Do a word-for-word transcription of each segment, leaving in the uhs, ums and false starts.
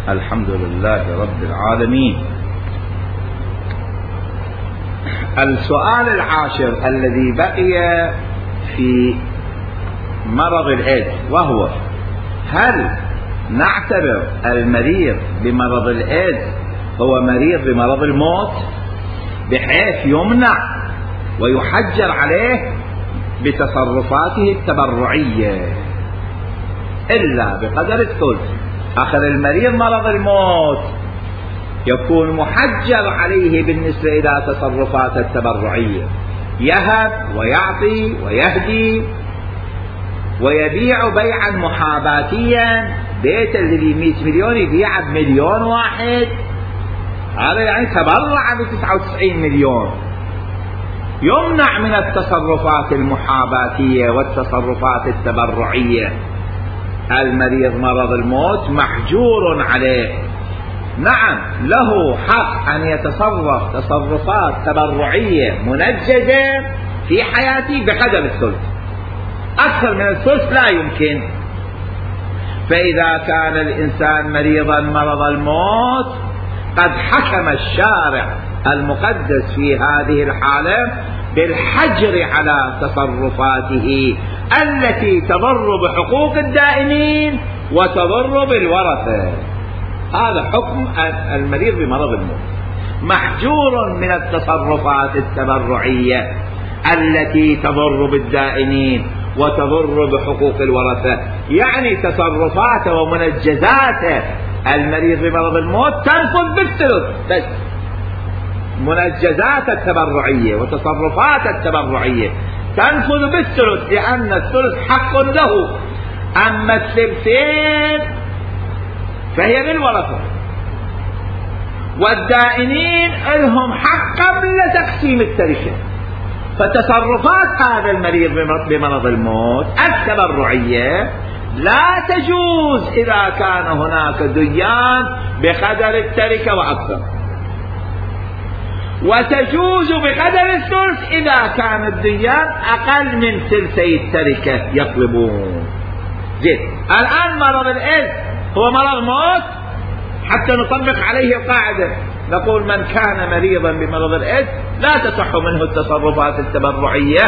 الحمد لله رب العالمين. السؤال العاشر الذي بقي في مرض الإيدز، وهو: هل نعتبر المريض بمرض الإيدز هو مريض بمرض الموت بحيث يمنع ويحجر عليه بتصرفاته التبرعية إلا بقدر الثلث؟ آخر المريض مرض الموت يكون محجر عليه بالنسبة إلى تصرفاته التبرعية، يهب ويعطي ويهدي ويبيع بيعا محاباتيا، بيت اللي مئة مليون يبيع بمليون واحد، هذا يعني تبرع بتسعة وتسعين مليون. يمنع من التصرفات المحاباتية والتصرفات التبرعية. المريض مرض الموت محجور عليه، نعم له حق أن يتصرف تصرفات تبرعية منجزة في حياته بقدر الثلث، أكثر من الثلث لا يمكن. فإذا كان الإنسان مريضا مرض الموت قد حكم الشارع المقدس في هذه الحالة بالحجر على تصرفاته التي تضر بحقوق الدائنين وتضر بالورثة. هذا حكم المريض بمرض الموت، محجور من التصرفات التبرعية التي تضر بالدائنين وتضر بحقوق الورثة. يعني تصرفاته ومنجزاته المريض بمرض الموت تنفذ بالثلث بس، منجزات التبرعية وتصرفات التبرعية تنفذ بالثلث، لأن الثلث حق له. أما الثلثين فهي للورثة، والدائنين لهم حق قبل تقسيم التركة. فتصرفات هذا المريض بمرض الموت التبرعية لا تجوز إذا كان هناك ديان بقدر التركة وأكثر، وتجوز بقدر الثلث إذا كان الديان أقل من ثلثي التركة يطلبون. زين، الآن مرض الإيدز هو مرض موت، حتى نطبق عليه القاعدة نقول: من كان مريضا بمرض الإيدز لا تصح منه التصرفات التبرعية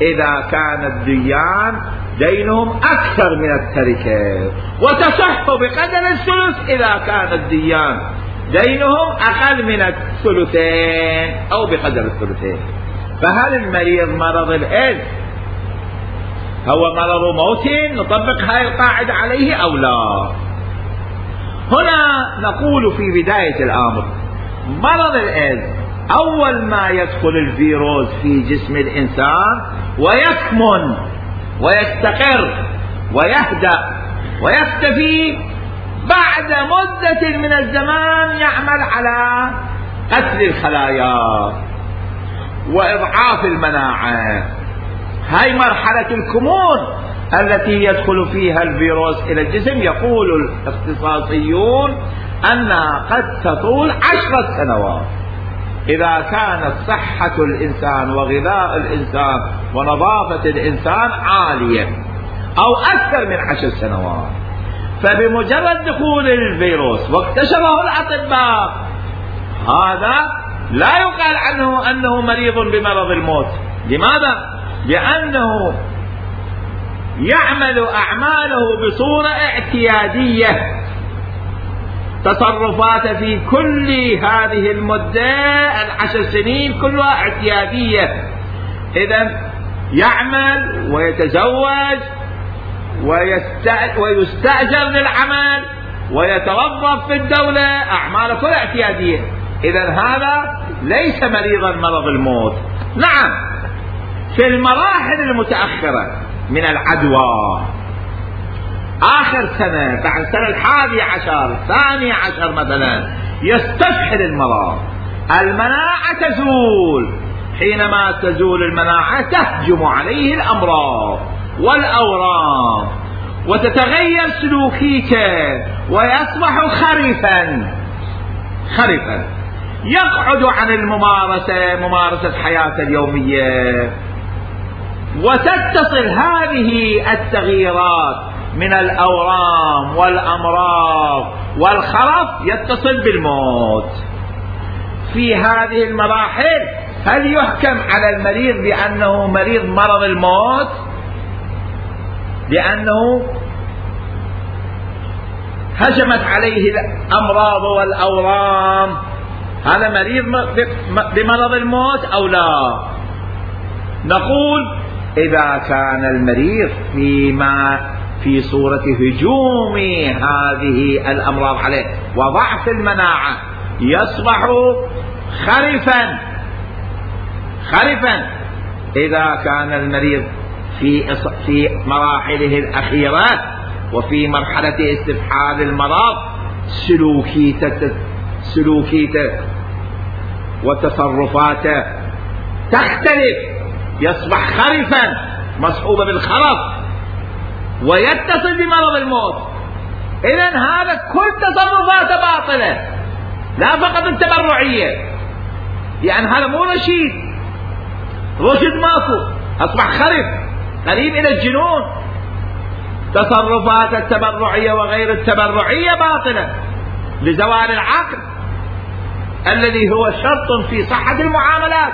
إذا كان الديان دينهم أكثر من التركة، وتصح بقدر الثلث إذا كان الديان دينهم أقل من الثلثين أو بقدر الثلثين. فهل المريض مرض الإيدز هو مرض موت نطبق هاي القاعدة عليه أو لا؟ هنا نقول في بداية الأمر: مرض الإيدز أول ما يدخل الفيروس في جسم الإنسان ويكمن ويستقر ويهدأ ويختفي، بعد مدة من الزمان يعمل على قتل الخلايا وإضعاف المناعة. هاي مرحلة الكمون التي يدخل فيها الفيروس إلى الجسم. يقول الاختصاصيون أنها قد تطول عشرة سنوات إذا كانت صحة الإنسان وغذاء الإنسان ونظافة الإنسان عالية، أو أكثر من عشر سنوات. فبمجرد دخول الفيروس واكتشفه الأطباء، هذا لا يقال عنه أنه مريض بمرض الموت. لماذا؟ لأنه يعمل أعماله بصورة اعتيادية، تصرفاته في كل هذه المدة العشر سنين كلها اعتيادية. إذن يعمل ويتزوج ويستأجر للعمل ويتوظف في الدولة، أعماله كلها اعتيادية. إذن هذا ليس مريضا مرض الموت. نعم، في المراحل المتأخرة من العدوى، آخر سنة بعد السنة الحادي عشر الثاني عشر مثلا، يستفحل المرض، المناعة تزول. حينما تزول المناعة تهجم عليه الأمراض والأورام وتتغير سلوكيته ويصبح خرفا خرفا يقعد عن الممارسة ممارسة حياته اليومية. وتتصل هذه التغييرات من الأورام والأمراض والخرف يتصل بالموت. في هذه المراحل هل يحكم على المريض بأنه مريض مرض الموت لأنه هجمت عليه الأمراض والأورام، هذا مريض بمرض الموت أو لا؟ نقول إذا كان المريض فيما في صورة هجوم هذه الأمراض عليه وضعف المناعة يصبح خرفا خرفا إذا كان المريض في في مراحله الأخيرة وفي مرحلة استفحال المرض سلوكيته سلوكيته وتصرفاته تختلف، يصبح خرفا مصحوب بالخرف ويتصل بمرض الموت. إذن هذا كل تصرفاته باطلة، لا فقط التبرعية، يعني هذا مو رشيد، رشد ماكو، أصبح خرف قريب إلى الجنون. تصرفات التبرعية وغير التبرعية باطلة لزوال العقل الذي هو شرط في صحة المعاملات.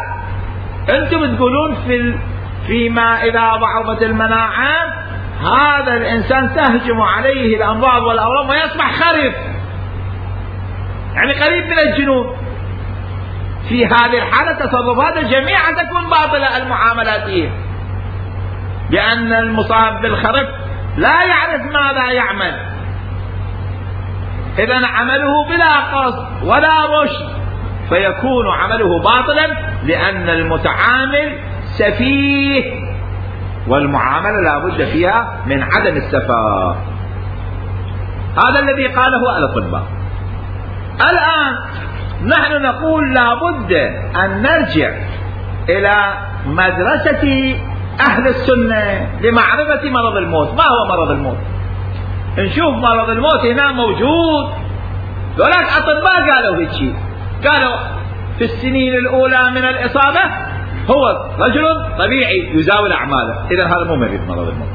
أنتم تقولون في فيما إذا ضعفت المناعة هذا الإنسان تهجم عليه الأمراض والأورام ويصبح خرف، يعني قريب من الجنون. في هذه الحالة تصرفات جميعا تكون باطلة المعاملاتية، لأن المصاب بالخرف لا يعرف ماذا يعمل، إذن عمله بلا قصد ولا رشد فيكون عمله باطلا لأن المتعامل سفيه، والمعاملة لا بد فيها من عدم السفاهة. هذا الذي قاله الأطباء. الآن نحن نقول لا بد أن نرجع إلى مدرسة أهل السنة لمعرفة مرض الموت. ما هو مرض الموت؟ نشوف مرض الموت هنا موجود، ولكن أطباء قالوا هيك شيء، قالوا في السنين الأولى من الإصابة هو رجل طبيعي يزاول أعماله، إذا هذا مو مريض مرض الموت.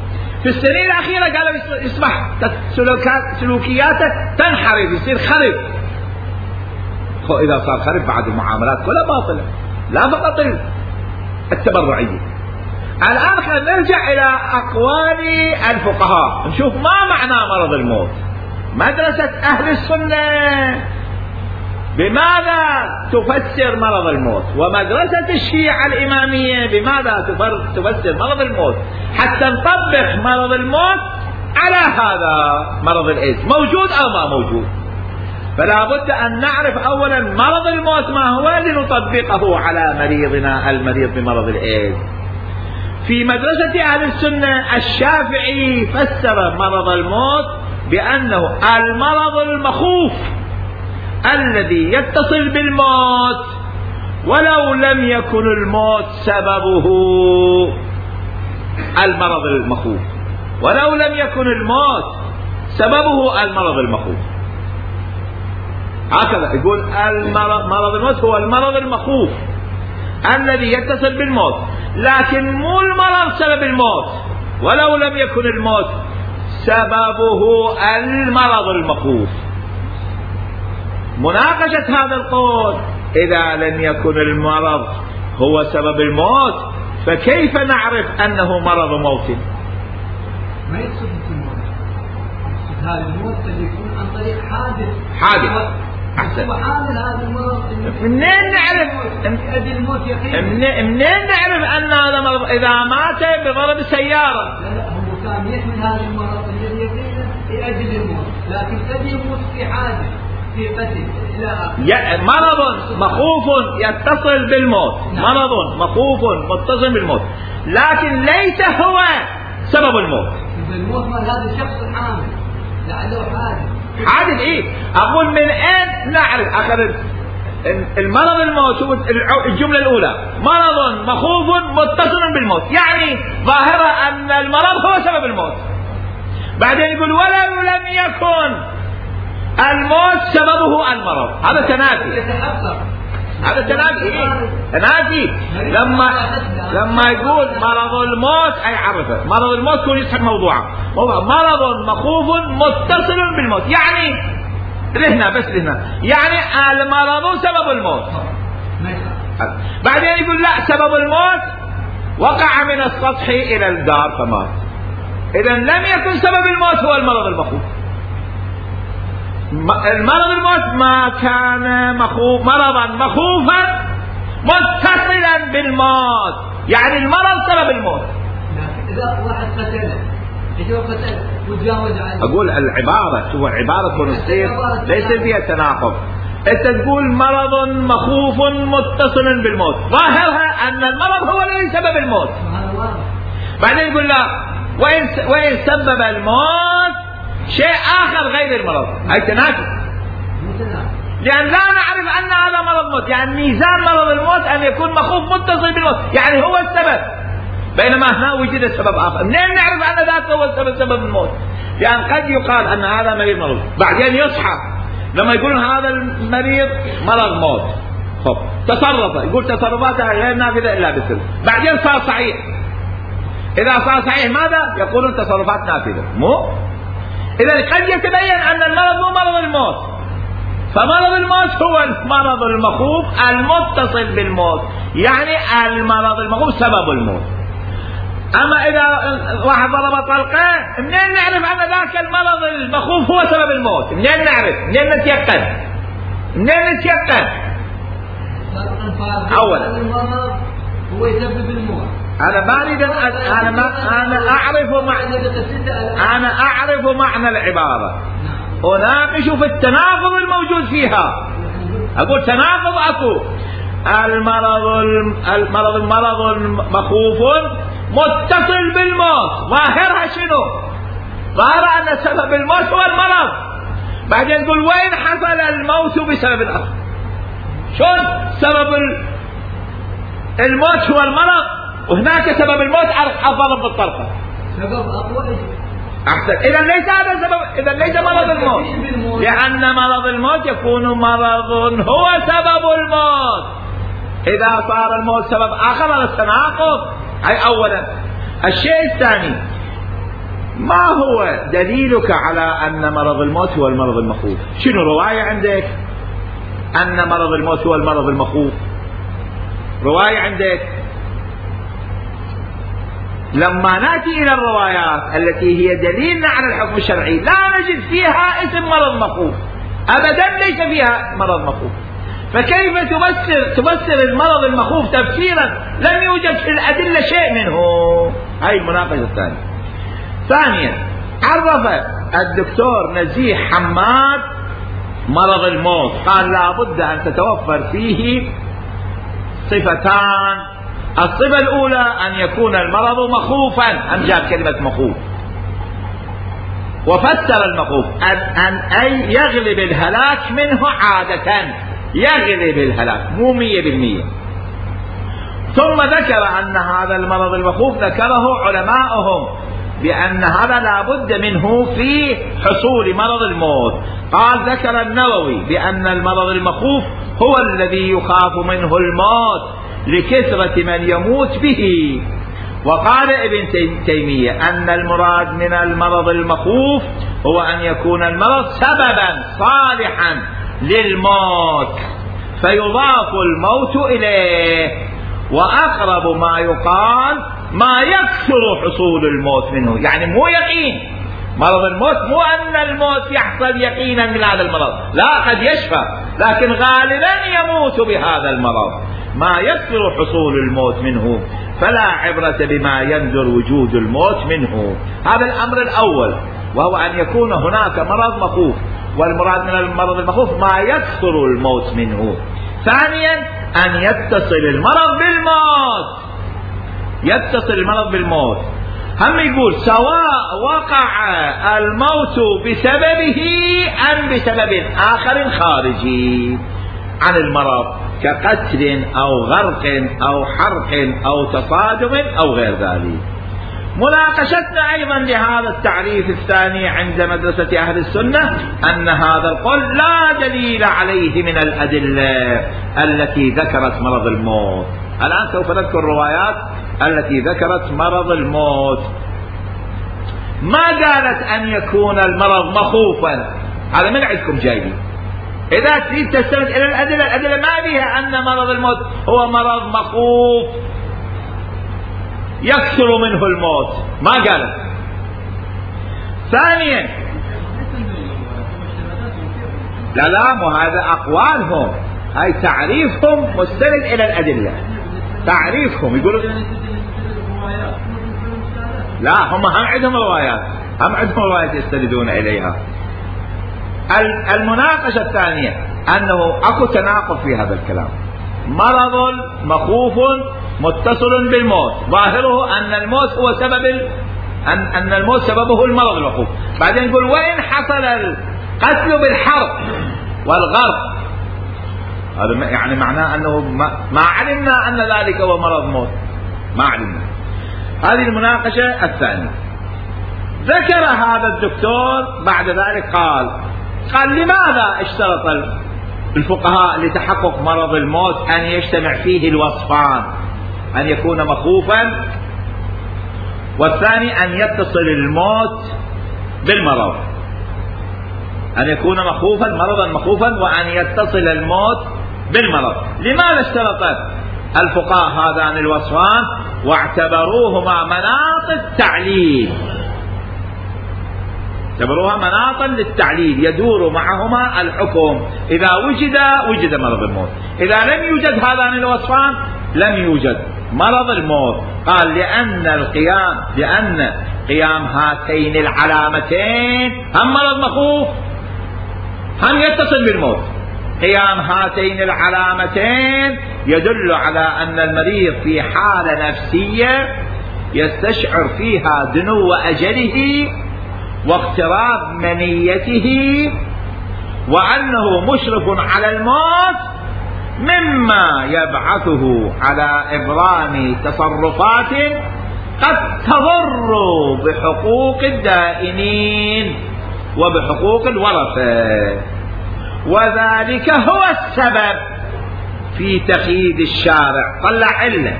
في السنين الأخيرة قالوا يصبح سلوكياته تنحرف، يصير خرف. إذا صار خرف بعد المعاملات كلها باطلة، لا فقط التبرعية. الآن خلينا نرجع إلى أقوال الفقهاء نشوف ما معنى مرض الموت. مدرسة أهل السنة بماذا تفسر مرض الموت، ومدرسة الشيعة الإمامية بماذا تفسر مرض الموت، حتى نطبق مرض الموت على هذا مرض الإيدز، موجود أو ما موجود. فلا بد أن نعرف أولا مرض الموت ما هو لنطبقه على مريضنا المريض بمرض الإيدز. في مدرسة أهل السنة الشافعي فسر مرض الموت بأنه المرض المخوف الذي يتصل بالموت ولو لم يكن الموت سببه المرض المخوف، ولو لم يكن الموت سببه المرض المخوف. هكذا يقول المرض مرض الموت هو المرض المخوف الذي يتصل بالموت، لكن مو المرض سبب الموت، ولو لم يكن الموت سببه المرض المخوف. مناقشة هذا القول، إذا لم يكن المرض هو سبب الموت فكيف نعرف أنه مرض موت؟ ما يقصد الموت، يقصد هذا الموت قد يكون عن طريق حادث حادث أحسن. وحامل هذا المرض منين نعرف الموت يقينا؟ منين نعرف أن هذا مرض؟ إذا مات بضرب سيارة. لا لا هو كان يحمل هذا المرض الذي يقينا لأجل الموت، لكن قد يموت في حادث في قتل إلى آخره. مرض مخوف يتصل بالموت، مرض مخوف متصل بالموت، لكن ليس هو سبب الموت. الموت مال هذا الشخص الحامل لعله حادث. حادث ايه؟ اقول من اين نعرف؟ اخذ المرض الموت الجملة الاولى مرض مخوف متصل بالموت، يعني ظاهرة ان المرض هو سبب الموت. بعدين يقول ولو لم يكن الموت سببه المرض، هذا تنافي. هذا تنافي إيه؟ تنافي. لما لما يقول مرض الموت اي عرفه مرض الموت يكون يسحب موضوعه موضوع مرض مخوف متصل بالموت، يعني لهنا بس لهنا، يعني المرض سبب الموت. بعدين يقول لا، سبب الموت وقع من السطح الى الدار فمات. اذا لم يكن سبب الموت هو المرض المخوف. المرض الموت ما كان مخوف مرضا مخوفا متصلا بالموت، يعني المرض سبب الموت. اذا واحد قتله اذا قتله وتجاوز عنه، اقول العباره هو عباره كونستير ليس فيها تناقض. انت تقول مرض مخوف متصل بالموت، ظاهرها ان المرض هو الذي سبب الموت. بعدين يقول لا، وين وين سبب الموت شيء اخر غير المرض، اي تناقض. لان لا نعرف ان هذا مرض موت، يعني ميزان مرض الموت ان يكون مخوف متصل بالموت، يعني هو السبب، بينما هنا وجد سبب اخر. منين نعرف ان ذاك هو السبب سبب الموت؟ لان قد يقال ان هذا مريض مرض، بعدين يصحى لما يقولون هذا المريض مرض موت، خب تصرفه، يقول تصرفاته غير نافذه الا بالسبب، بعدين صار صحيح. اذا صار صحيح ماذا؟ يقولون تصرفات نافذه، مو؟ اذا قد يتبين ان المرض مو مرض الموت، فمرض الموت هو المرض المخوف المتصل بالموت، يعني المرض المخوف سبب الموت. اما اذا واحد ضرب طلقه، منين نعرف ان ذاك المرض المخوف هو سبب الموت؟ منين نعرف؟ منين نتيقن؟ منين نتيقن؟ اولا المرض هو يسبب الموت. انا ما اريد انا ما انا اعرف معنى انا اعرف معنى العباره، اناقش في التناقض الموجود فيها. اقول تناقض اكو، المرض المرض المرض مخوف متصل بالموت، ظاهرها شنو؟ ظاهر ان سبب الموت هو المرض. بعدين نقول وين حصل الموت بسبب اخر؟ شلون سبب الموت هو المرض وهناك سبب الموت الضرب بالطلقه؟ سبب اقوى احسن. اذا ليس هذا سبب، اذا ليس مرض الموت، لان مرض الموت يكون مرض هو سبب الموت. اذا صار الموت سبب اخر هذا التناقض. هاي اولا. الشيء الثاني، ما هو دليلك على ان مرض الموت هو المرض المخوف؟ شنو روايه عندك ان مرض الموت هو المرض المخوف؟ روايه عندك؟ لما ناتي الى الروايات التي هي دليلنا على الحكم الشرعي لا نجد فيها اسم مرض مخوف ابدا، ليس فيها مرض مخوف. فكيف تفسر تفسر المرض المخوف تفسيرا لم يوجد في الادله شيء منه؟ هاي المناقشه الثانيه. ثانيا، عرف الدكتور نزيه حماد مرض الموت، قال لا بد ان تتوفر فيه صفتان. الصفة الأولى أن يكون المرض مخوفا، أم جاب كلمة مخوف وفسر المخوف أن, أن أي يغلب الهلاك منه عادة، يغلب الهلاك مو مية بالمية. ثم ذكر أن هذا المرض المخوف ذكره علماؤهم بأن هذا لا بد منه في حصول مرض الموت. قال ذكر النووي بأن المرض المخوف هو الذي يخاف منه الموت لكثرة من يموت به. وقال ابن تيمية أن المراد من المرض المخوف هو أن يكون المرض سببا صالحا للموت فيضاف الموت إليه. وأقرب ما يقال ما يكثر حصول الموت منه، يعني مو يقين مرض الموت، مو أن الموت يحصل يقينا من هذا المرض، لا، قد يشفى لكن غالبا يموت بهذا المرض. ما يكثر حصول الموت منه فلا عبرة بما يندر وجود الموت منه. هذا الأمر الأول، وهو أن يكون هناك مرض مخوف، والمراد من المرض المخوف ما يكثر الموت منه. ثانيا، أن يتصل المرض بالموت، يتصل المرض بالموت. هم يقول سواء وقع الموت بسببه أم بسبب آخر خارجي عن المرض كقتل أو غرق أو حرق أو تصادم أو غير ذلك. مناقشتنا أيضا لهذا التعريف الثاني عند مدرسة أهل السنة أن هذا القول لا دليل عليه من الأدلة التي ذكرت مرض الموت. الآن سوف نذكر الروايات التي ذكرت مرض الموت. ما قالت أن يكون المرض مخوفا هذا من عندكم جايبين. إذا تريد تستند إلى الأدلة، الأدلة ما بها أن مرض الموت هو مرض مخوف يكثر منه الموت، ما قالت. ثانيا لا لا مو هذا أقوالهم، هاي تعريفهم مستند إلى الأدلة، تعريفهم يقولون لا، هم هم عندهم روايات، هم عندهم روايات يستندون إليها. المناقشة الثانية أنه أكو تناقض في هذا الكلام. مرض مخوف متصل بالموت، ظاهره أن الموت هو سبب ال... أن... أن الموت سببه المرض المخوف. بعدين يقول وإن حصل القتل بالحرب والغرق، هذا يعني معناه أنه ما... ما علمنا أن ذلك هو مرض موت، ما علمنا. هذه المناقشة الثانية. ذكر هذا الدكتور بعد ذلك قال قال لماذا اشترط الفقهاء لتحقق مرض الموت أن يجتمع فيه الوصفان، أن يكون مخوفا، والثاني أن يتصل الموت بالمرض، أن يكون مخوفا مرضا مخوفا وأن يتصل الموت بالمرض. لماذا اشترط الفقهاء هذان الوصفان واعتبروهما مناط التعليل؟ اعتبروها مناطا للتعليل يدور معهما الحكم، إذا وجد وجد مرض الموت، إذا لم يوجد هذان الوصفان لم يوجد مرض الموت. قال لأن القيام لأن قيام هاتين العلامتين هم مرض مخوف هم يتصل بالموت. قيام هاتين العلامتين يدل على أن المريض في حالة نفسية يستشعر فيها دنو أجله واقتراب منيته، وأنه مشرف على الموت، مما يبعثه على إبرام تصرفات قد تضر بحقوق الدائنين وبحقوق الورثة، وذلك هو السبب في تقييد الشارع. طلع علة،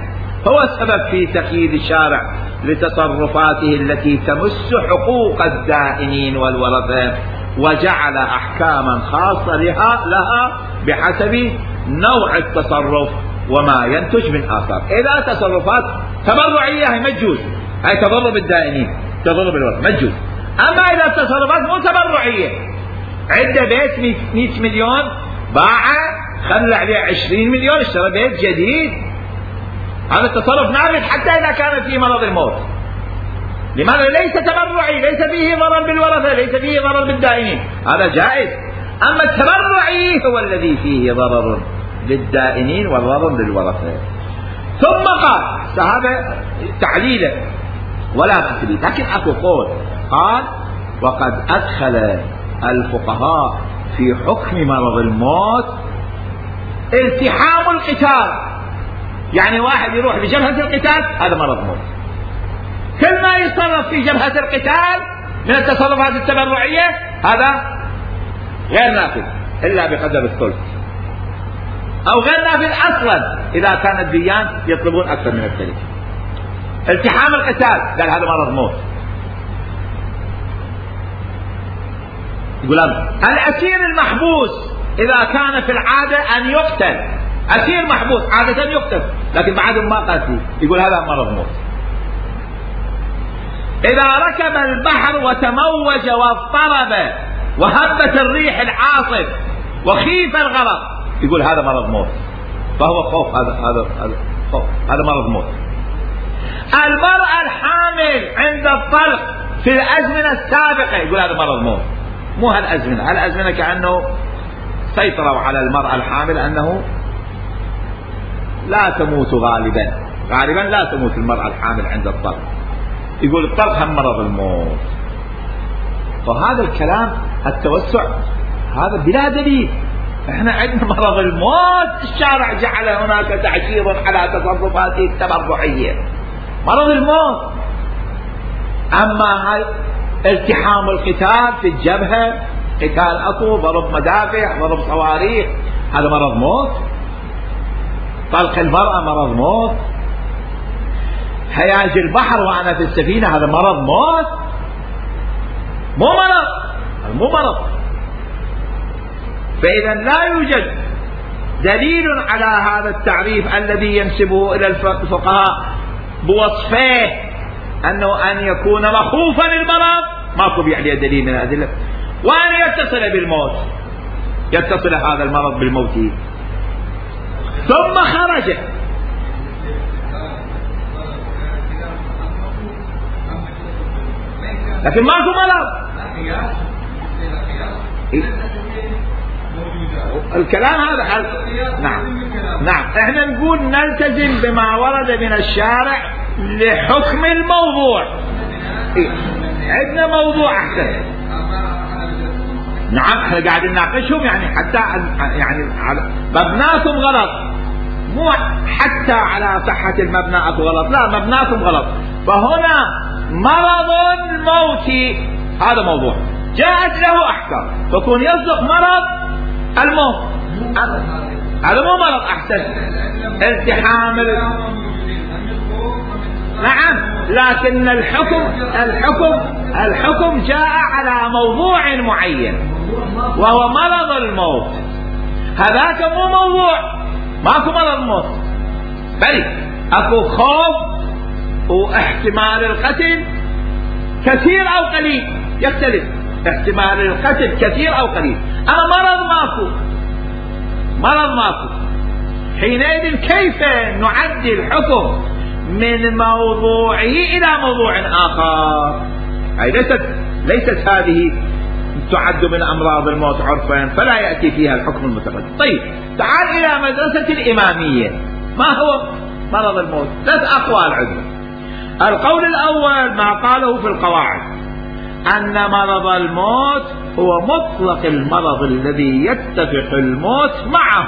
هو السبب في تقييد الشارع لتصرفاته التي تمس حقوق الدائنين والورثة، وجعل أحكاما خاصة لها, لها بحسب نوع التصرف وما ينتج من آثار. إذا تصرفات تبرعية هي مجوز، هي تضر بالدائنين تضر بالورثة مجوز. أما إذا تصرفات مو تبرعية، عنده بيت مئة مليون باعه خلى عليه عشرين مليون اشترى بيت جديد، هذا التصرف نافذ حتى إذا كان فيه مرض الموت. لماذا؟ ليس تبرعي، ليس فيه ضرر بالورثة، ليس فيه ضرر بالدائنين، هذا جائز. أما التبرعي هو الذي فيه ضرر للدائنين وضرر للورثة. ثم قال هذا تعليلا ولا تثبيت، لكن أكو قول قال وقد أدخل الفقهاء في حكم مرض الموت التحام القتال، يعني واحد يروح لجبهة القتال هذا مرض موت، كل ما يتصرف في جبهة القتال من التصرفات التبرعية هذا غير نافذ إلا بقدر الثلث، أو غير نافذ أصلا إذا كان الديان يطلبون أكثر من الثلث. التحام القتال قال هذا مرض موت. يقول الأسير المحبوس إذا كان في العادة أن يقتل، أسير محبوس عادة يقتل لكن بعدهم ما قتل، يقول هذا مرض موت. إذا ركب البحر وتموج واضطرب وهبت الريح العاصف وخيف الغرق، يقول هذا مرض موت، فهو خوف، هذا هذا هذا خوف، هذا مرض موت. المرأة الحامل عند الطلق في الأزمنة السابقة يقول هذا مرض موت. مو هالأزمنة، هالأزمنة كأنه سيطروا على المرأة الحامل أنه لا تموت غالبا، غالبا لا تموت المرأة الحامل عند الطلق، يقول الطلق هم مرض الموت. فهذا الكلام التوسع هذا بلا دليل. احنا عندنا مرض الموت الشارع جعل هناك تعشير على تصرفاته التبرعية، مرض الموت. اما هاي التحام القتال في الجبهة، قتال اكو، ضرب مدافع، ضرب صواريخ، هذا مرض موت. طلق المرأة مرض موت. هياج البحر وانا في السفينة هذا مرض موت، مو مرض، مو مرض. فإذا لا يوجد دليل على هذا التعريف الذي ينسبه إلى الفقهاء بوصفه أنه أن يكون مخوفا للمرض، ماكو عليه دليل من الأدلة، وأن يتصل بالموت، يتصل هذا المرض بالموت ثم خرج. لكن ماكو مرض. الكلام هذا نعم نعم احنا نقول نلتزم بما ورد من الشارع لحكم الموضوع. إيه؟ عندنا موضوع احسن. نعم احنا قاعدين نناقشهم يعني حتى يعني مبناكم غلط، مو حتى على صحة المبنى اكو غلط، لا مبناكم غلط. فهنا مرض الموت هذا موضوع جاءت له احكام، فكون يصدق مرض الموت هذا مو مرض احسن التحام. نعم لكن الحكم الحكم الحكم جاء على موضوع معين وهو مرض الموت. هذاك مو موضوع، ماكو مرض موت، بل اكو خوف واحتمال القتل كثير او قليل، يختلف احتمال القتل كثير او قليل. اما مرض ماكو، مرض ماكو. حينئذ كيف نعدي الحكم من موضوعه الى موضوع اخر؟ اي ليست ليست هذه تعد من امراض الموت عرفا، فلا ياتي فيها الحكم المتقدم. طيب تعال الى مدرسة الامامية. ما هو مرض الموت؟ ثلاث اقوال عندنا. القول الاول ما قاله في القواعد ان مرض الموت هو مطلق المرض الذي يتفق الموت معه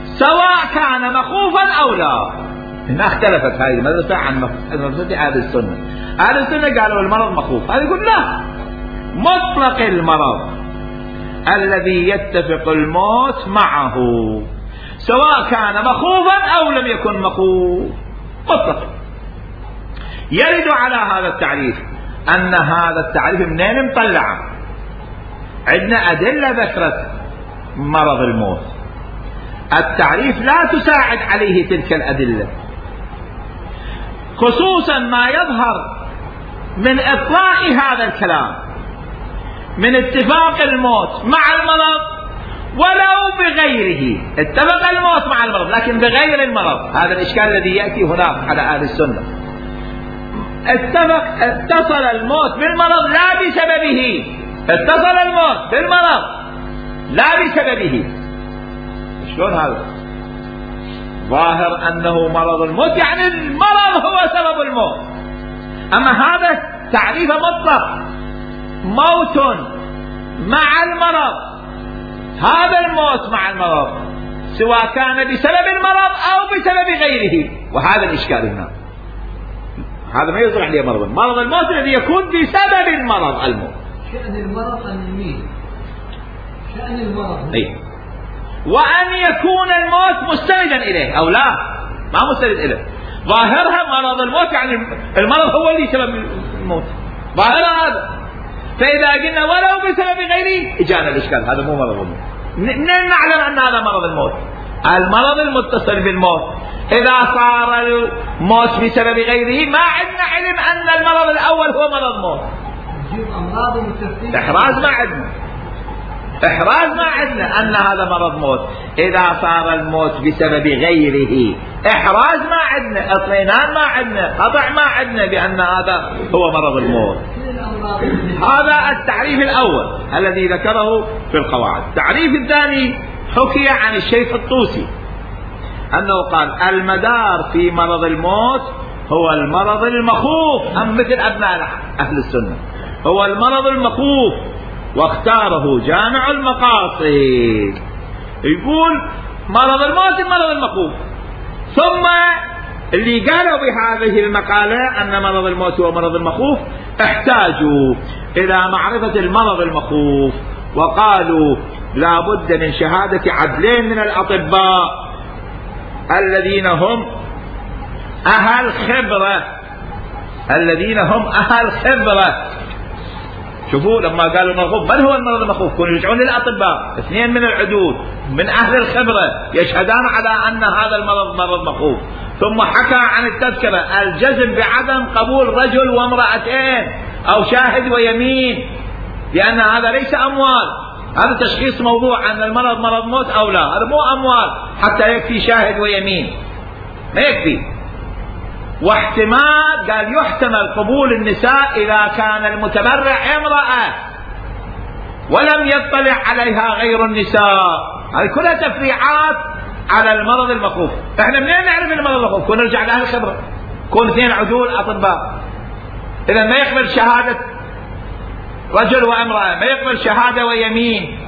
سواء كان مخوفا او لا. هنا اختلفت هذه المدرسة عن مدرسة اهل السنة. اهل السنة قالوا المرض مخوف، هذا يقول لا، مطلق المرض الذي يتفق الموت معه سواء كان مخوفا او لم يكن مخوف، مطلق. يرد على هذا التعريف ان هذا التعريف منين مطلعه؟ عندنا ادله ذكرت مرض الموت، التعريف لا تساعد عليه تلك الادله، خصوصا ما يظهر من اطلاق هذا الكلام من اتفاق الموت مع المرض ولو بغيره. اتفق الموت مع المرض لكن بغير المرض، هذا الاشكال الذي ياتي هناك على اهل السنه. اتفق اتصل الموت بالمرض لا بسببه، اتصل الموت بالمرض لا بسببه. شلون هذا؟ ظاهر انه مرض الموت يعني المرض هو سبب الموت. اما هذا تعريف مطلق، موت مع المرض، هذا الموت مع المرض سواء كان بسبب المرض او بسبب غيره، وهذا الاشكال هنا. هذا ما يصلح عليه مرض مرض الموت الذي يكون بسبب المرض الموت. شأن المرض المميت، شأن المرض اي، وان يكون الموت مستندا اليه او لا، ما مستند اليه. ظاهرها مرض الموت يعني المرض هو اللي سبب الموت، ظاهرها هذا. فاذا قلنا ولو بسبب غيره اجانا الاشكال، هذا مو مرض الموت. منين نعلم ان هذا مرض الموت؟ المرض المتصل بالموت. اذا صار الموت بسبب غيره ما عندنا علم ان المرض الاول هو مرض موت. احراز ما عندنا، احراز ما عندنا ان هذا مرض موت. اذا صار الموت بسبب غيره احراز ما عندنا، اطمئنان ما عندنا، قطع ما عندنا بان هذا هو مرض الموت. هذا التعريف الاول الذي ذكره في القواعد. التعريف الثاني حكي عن الشيخ الطوسي انه قال المدار في مرض الموت هو المرض المخوف، ام مثل ابناء اهل السنه هو المرض المخوف، واختاره جامع المقاصد. يقول مرض الموت المرض المخوف. ثم اللي قالوا بهذه المقالة أن مرض الموت هو مرض المخوف احتاجوا إلى معرفة المرض المخوف، وقالوا لا بد من شهادة عدلين من الأطباء الذين هم أهل خبرة، الذين هم أهل خبرة شوفوا لما قالوا المخوف، من هو المرض المخوف؟ كانوا يرجعون للأطباء، اثنين من العدود من أهل الخبرة يشهدان على أن هذا المرض مرض مخوف. ثم حكى عن التذكرة الجزم بعدم قبول رجل وامرأتين أو شاهد ويمين، لأن هذا ليس أموال. هذا تشخيص موضوع أن المرض مرض موت أو لا، هذا مو أموال حتى يكفي شاهد ويمين، ما يكفي. واحتمال قال يحتمل قبول النساء إذا كان المتبرع امرأة ولم يطلع عليها غير النساء. هذه كلها تفريعات على المرض المخوف. احنا منين نعرف المرض المخوف؟ كنا نرجع لأهل الخبرة، كون اثنين عدول أطباء. إذا ما يقبل شهادة رجل وامرأة، ما يقبل شهادة ويمين.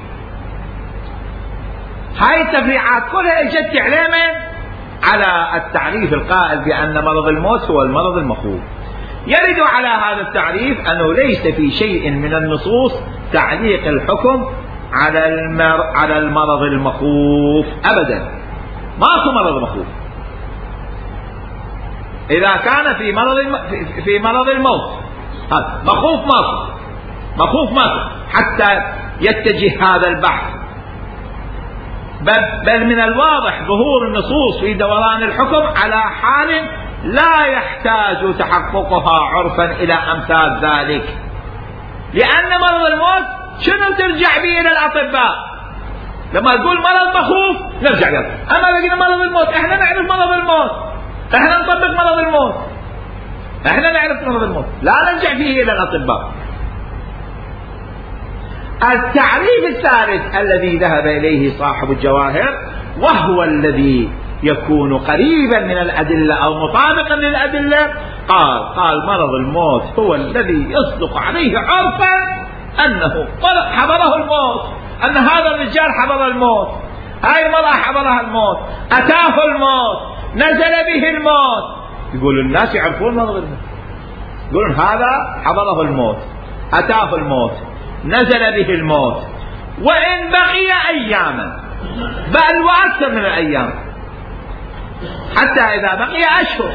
هاي التفريعات كلها اجت تعليما على التعريف القائل بأن مرض الموت هو المرض المخوف. يرد على هذا التعريف أنه ليس في شيء من النصوص تعليق الحكم على المر... على المرض المخوف أبدا. ماكو مرض مخوف إذا كان في مرض الم... في مرض الموت. هذا مخوف ماكو، مخوف ماكو حتى يتجه هذا البحث. بل من الواضح ظهور النصوص في دوران الحكم على حال لا يحتاج تحققها عرفا إلى أمثال ذلك، لأن مرض الموت شنو ترجع به إلى الأطباء؟ لما تقول مرض مخوف نرجع له. أما لقينا مرض الموت، احنا نعرف مرض الموت، احنا نطبق مرض الموت، احنا نعرف مرض الموت، لا نرجع فيه إلى الأطباء. التعريف الثالث الذي ذهب إليه صاحب الجواهر، وهو الذي يكون قريبا من الأدلة أو مطابقا للأدلة، قال قال مرض الموت هو الذي يصدق عليه عرفا أنه حضره الموت، أن هذا الرجال حضر الموت، هاي المرأة حضرها الموت، أتاه الموت، نزل به الموت. يقول الناس يعرفون مرض الموت، يقولون هذا حضره الموت، أتاه الموت، نزل به الموت، وإن بقي أياما، بل وأكثر من الأيام، حتى إذا بقي أشهر.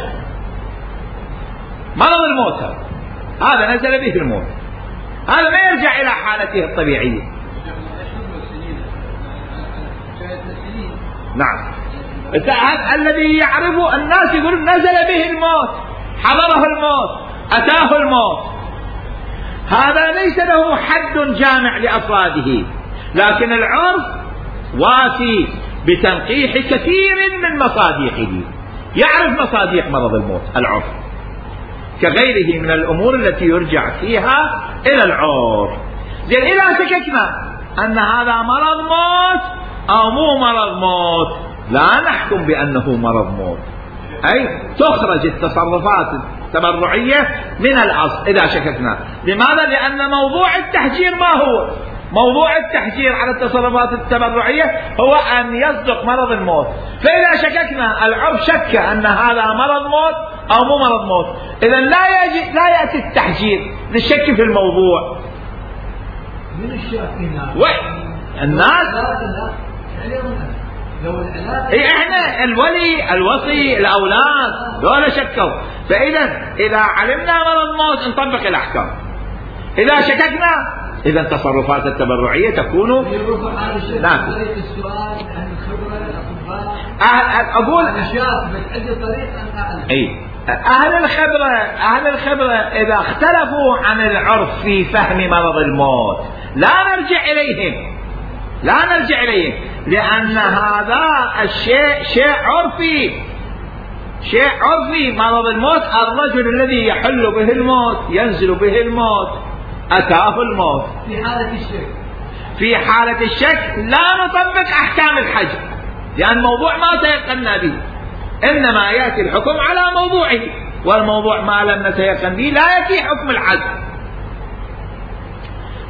مرض الموت هذا نزل به الموت، هذا ما يرجع إلى حالته الطبيعية. نعم، الذي يعرفه الناس يقولون نزل به الموت، حضره الموت، أتاه الموت. هذا ليس له حد جامع لأفراده، لكن العرف وافي بتنقيح كثير من مصادقه، يعرف مصادق مرض الموت العرف، كغيره من الأمور التي يرجع فيها إلى العرف. زين، إذا شككنا أن هذا مرض موت أو مو مرض موت، لا نحكم بأنه مرض موت، أي تخرج التصرفات التبرعية من الأصل إذا شككنا. لماذا؟ لأن موضوع التحجير ما هو؟ موضوع التحجير على التصرفات التبرعية هو أن يصدق مرض الموت. فإذا شككنا، العرف شك أن هذا مرض موت أو مو مرض موت، إذا لا يجي لا يأتي التحجير للشك في الموضوع. من الشاكين؟ الناس. إيه احنا الولي الوصي الاولاد دول شكوا. فاذا اذا علمنا مرض موت نطبق الاحكام، اذا شككنا اذا التصرفات التبرعيه تكون نعم. اقول اي اهل الخبره اهل الخبره اذا اختلفوا عن العرف في فهم مرض الموت لا نرجع اليهم، لا نرجع إليه، لأن هذا الشيء شيء عرفي، شيء عرفي. مرض الموت الرجل الذي يحل به الموت، ينزل به الموت، أتاه الموت. في حالة الشك في حالة الشك لا نطبق أحكام الحجر، لأن موضوع ما تيقنا به، إنما يأتي الحكم على موضوعه، والموضوع ما لم نتيقن به لا يأتي حكم الحجر.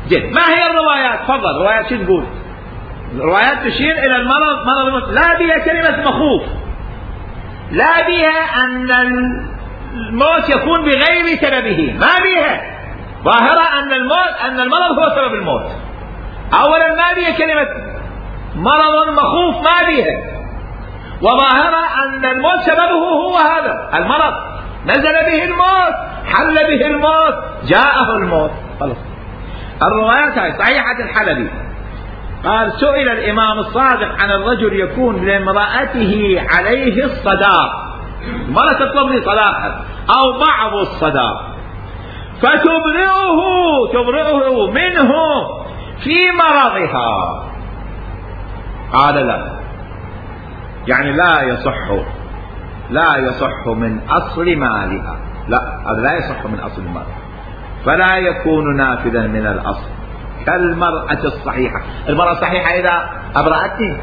جد، ما هي الروايات؟ تفضل، روايات شو تقول؟ الروايات تشير إلى المرض مرض الموت، لا بها كلمة مخوف، لا بها أن الموت يكون بغير سببه، ما بها ظاهرة أن الموت أن المرض هو سبب الموت. أولا ما بها كلمة مرض مخوف، ما بها، وظاهرة أن الموت سببه هو هذا المرض، نزل به الموت، حل به الموت، جاءه الموت، خلاص. الروايات هاي صحيحة الحلبي قال سئل الإمام الصادق عن الرجل يكون لامرأته عليه الصداق، المرأة تطلب لي صداقا أو بعض الصداق، فتبرئه تبرئه منه في مرضها، قال لا، يعني لا يصح لا يصح من أصل مالها، لا هذا لا يصح من أصل مالها، فلا يكون نافذا من الأصل كالمرأة الصحيحة. المرأة الصحيحة إذا أبرأتني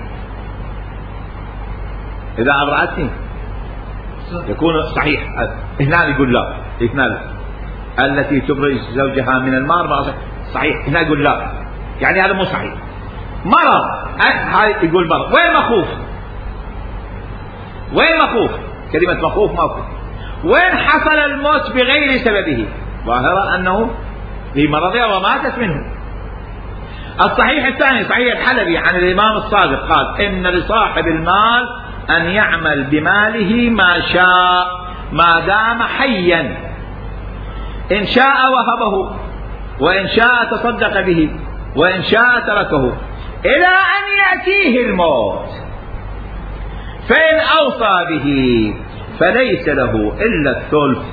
إذا أبرأتني يكون صحيح. هنا يقول لا، هنا التي تبرئ زوجها من المرض صحيح، هنا يقول لا، يعني هذا مو صحيح. مرض هاي يقول مرض، وين مخوف؟ وين مخوف؟ كلمة مخوف مخوف. وين حصل الموت بغير سببه؟ ظاهرة أنه في مرضها وماتت منه. الصحيح الثاني صحيح الحلبي عن الإمام الصادق قال إن لصاحب المال أن يعمل بماله ما شاء ما دام حيا، إن شاء وهبه، وإن شاء تصدق به، وإن شاء تركه إلى أن يأتيه الموت، فإن أوصى به فليس له إلا الثلث.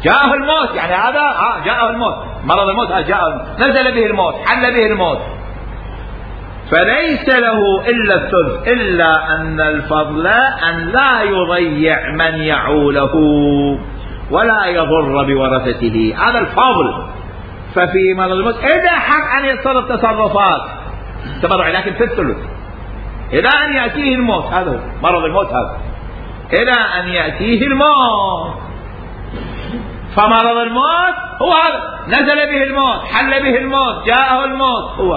جاءه الموت، يعني هذا آه جاءه الموت، مرض الموت آه جاءه، نزل به الموت، حل به الموت، فليس له إلا الثلث، إلا أن الفضل أن لا يضيع من يعوله ولا يضر بورثته، هذا الفضل. ففي مرض الموت إذا حق أن يتصرف تصرفات تبرع، لكن في الثلث إلى أن يأتيه الموت، هذا مرض الموت، هذا إلى أن يأتيه الموت. فمرض الموت هو هذا، نزل به الموت، حل به الموت، جاءه الموت، هو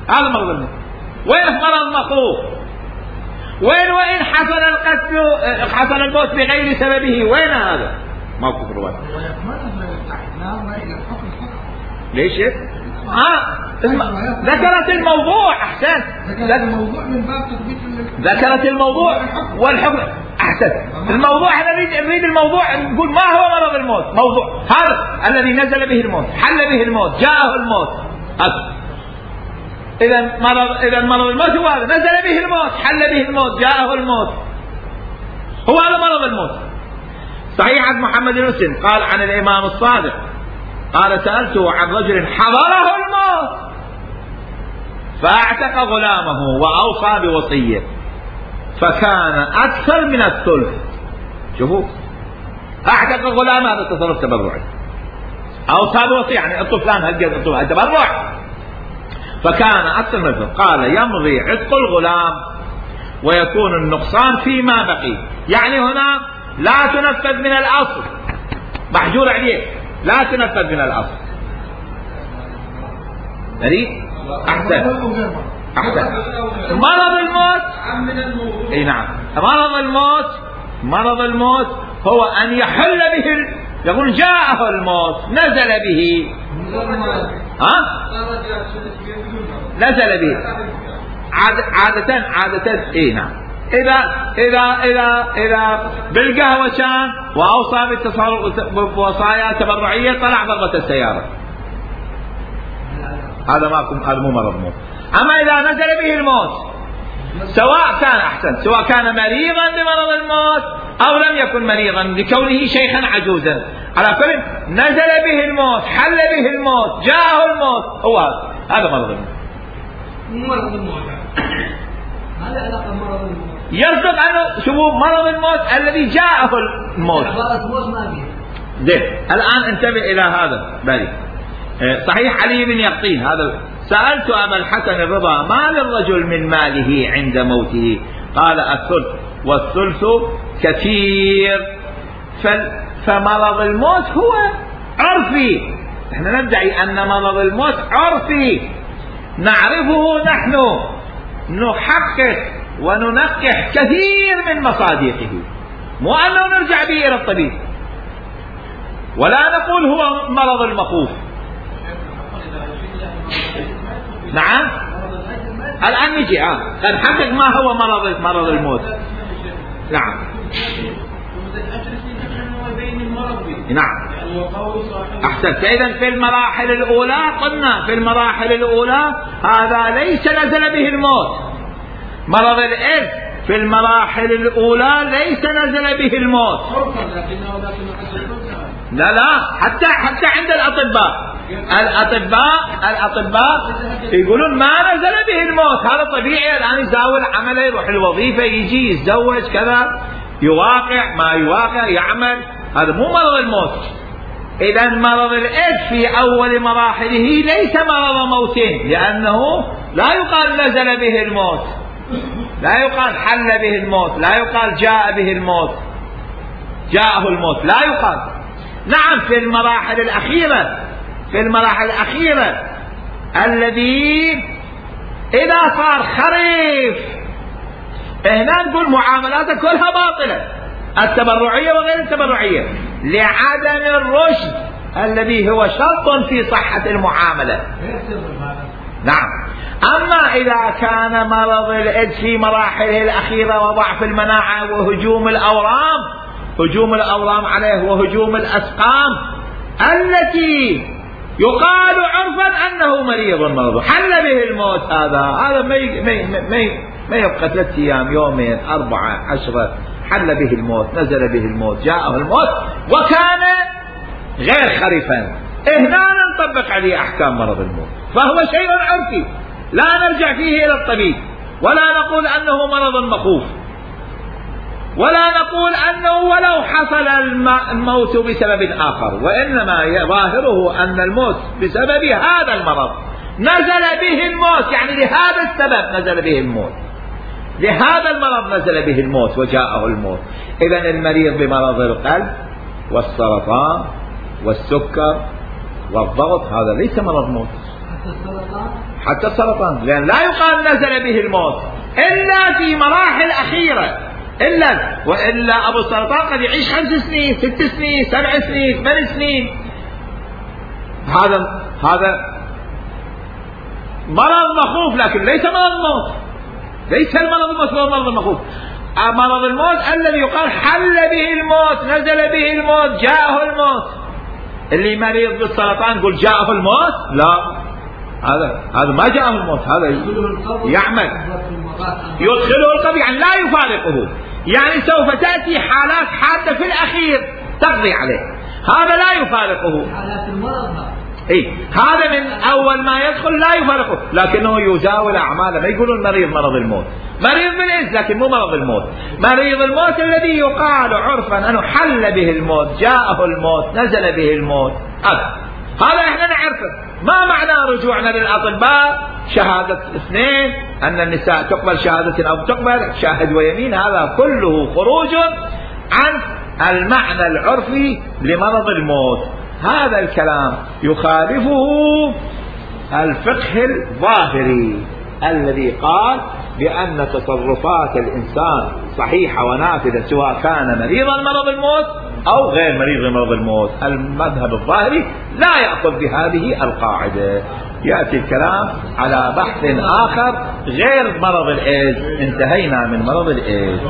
هذا مرض الموت. وين مرض مخوف؟ وين وإن حصل القتل حصل الموت بغير سببه، وين هذا؟ موقف الرواية. ليش؟ آه ذكرت الموضوع، أحسن، ذكرت الموضوع من باب تثبيت، ذكرت الموضوع والحكم، أحسن. الموضوع احنا نريد نريد الموضوع، نقول ما هو مرض الموت، موضوع هذا الذي نزل به الموت، حل به الموت، جاءه الموت، هذا. إذا مرض إذا مرض الموت هو هذا، نزل به الموت، حل به الموت، جاءه الموت، هو هذا مرض الموت. صحيح عن محمد بن مسلم قال عن الإمام الصادق قال سألته عن رجل حضره الموت فأعتق غلامه وأوصى بوصية فكان أكثر من الثلث. شوفوا، أعتق غلامه، هذا تصرف تبرعي، أوصى بوصية يعني الطفلان هالقد الطفل تبرع، فكان أكثر من الثلث. قال يمضي عتق الغلام ويكون النقصان فيما بقي، يعني هنا لا تنفذ من الأصل، محجور عليه، لا تنفذ من الأصل. أريد أحسن أحسن. مرض الموت، اي نعم، مرض الموت مرض الموت هو أن يحل به، يقول جاءه الموت، نزل به، ها نزل به عادة عادة اي نعم. إذا إذا إذا إذا بالقهوة كان وأوصى بالتصرف بوصايا تبرعية، طلع ضربة السيارة، هذا ما هذا مو مرض موت. أما إذا نزل به الموت، سواء كان أحسن سواء كان مريضا بمرض الموت أو لم يكن مريضا لكونه شيخا عجوزا، على كل نزل به الموت، حل به الموت، جاءه الموت، هو هذا مرض الموت. مرض الموت هذا علاقة مرض الموت، يرصد عنه شوفوا مرض الموت الذي جاءه الموت. زين، الآن انتبه إلى هذا بالي. صحيح علي بن يقطين هذا، سألت أبا الحسن الرضا ما للرجل من ماله عند موته؟ قال الثلث، والثلث كثير. فمرض الموت هو عرفي، احنا ندعي أن مرض الموت عرفي نعرفه نحن، نحقق وننقح كثير من مصادقه، مو أنه نرجع به إلى الطبيب ولا نقول هو مرض المخوف. نعم، الآن نجي آه نحقق ما هو مرض مرض الموت. نعم نعم أحسنت. إذن في المراحل الأولى قلنا في المراحل الأولى هذا ليس نزل به الموت. مرض الإرث في المراحل الأولى ليس نزل به الموت. لا لا حتى حتى عند الأطباء الأطباء الأطباء يقولون ما نزل به الموت. هذا طبيعي. الآن يزاول عمله، يروح الوظيفة، يجي يتزوج كذا، يواقع ما يواقع، يعمل. هذا مو مرض الموت. إذا مرض الإرث في أول مراحله ليس مرض موت، لأنه لا يقال نزل به الموت، لا يقال حل به الموت، لا يقال جاء به الموت، جاءه الموت، لا يقال. نعم في المراحل الأخيرة في المراحل الأخيرة الذي إذا صار خريف هنا نقول معاملاته كلها باطلة، التبرعية وغير التبرعية، لعدم الرشد الذي هو شرط في صحة المعاملة. نعم. أما إذا كان مرض الإيدز في مراحله الأخيرة وضعف المناعة وهجوم الأورام هجوم الأورام عليه وهجوم الأسقام التي يقال عرفا أنه مريض مرض حل به الموت، هذا هذا ما ما ما يبقى ثلاثة أيام، يومين، أربعة، عشرة، حل به الموت، نزل به الموت، جاءه الموت وكان غير خريفا، هنا نطبق عليه أحكام مرض الموت، فهو شيء عرفي لا نرجع فيه إلى الطبيب، ولا نقول أنه مرض مخوف، ولا نقول أنه ولو حصل الموت بسبب آخر، وإنما ظاهره أن الموت بسبب هذا المرض نزل به الموت، يعني لهذا السبب نزل به الموت، لهذا المرض نزل به الموت وجاءه الموت. إذن المريض بمرض القلب والسرطان والسكر والضغط هذا ليس مرض موت، حتى السرطان، لأن لا يقال نزل به الموت إلا في مراحل أخيرة، إلا وإلا أبو السرطان قد يعيش خمس سنين، ست سنين، سبع سنين، ثمان سنين، هذا هذا مرض مخوف، لكن ليس مرض موت، ليس المرض الموت هو مرض مخوف. مرض الموت الذي يقال حل به الموت، نزل به الموت، جاءه الموت. اللي مريض بالسرطان يقول جاءه الموت، لا، هذا هذا ما جاءه الموت، هذا يعمل يدخله القبر، يعني لا يفارقه، يعني سوف تأتي حالات حادة في الأخير تقضي عليه، هذا لا يفارقه. إيه هذا من أول ما يدخل لا يفارقه، لكنه يزاول أعماله. ما يقولون مريض مرض الموت، مريض بالإذن لكن مو مرض الموت. مريض الموت الذي يقال عرفا أنه حل به الموت، جاءه الموت، نزل به الموت، هذا هذا احنا نعرفه. ما معنى رجوعنا للأطباء شهادة اثنين أن النساء تقبل شهادة أو تقبل شاهد ويمين، هذا كله خروج عن المعنى العرفي لمرض الموت. هذا الكلام يخالفه الفقه الظاهري الذي قال بأن تصرفات الإنسان صحيحة ونافذة سواء كان مريضا مرض الموت أو غير مريض مرض الموت. المذهب الظاهري لا يأخذ بهذه القاعدة. يأتي الكلام على بحث آخر غير مرض الإيدز. انتهينا من مرض الإيدز.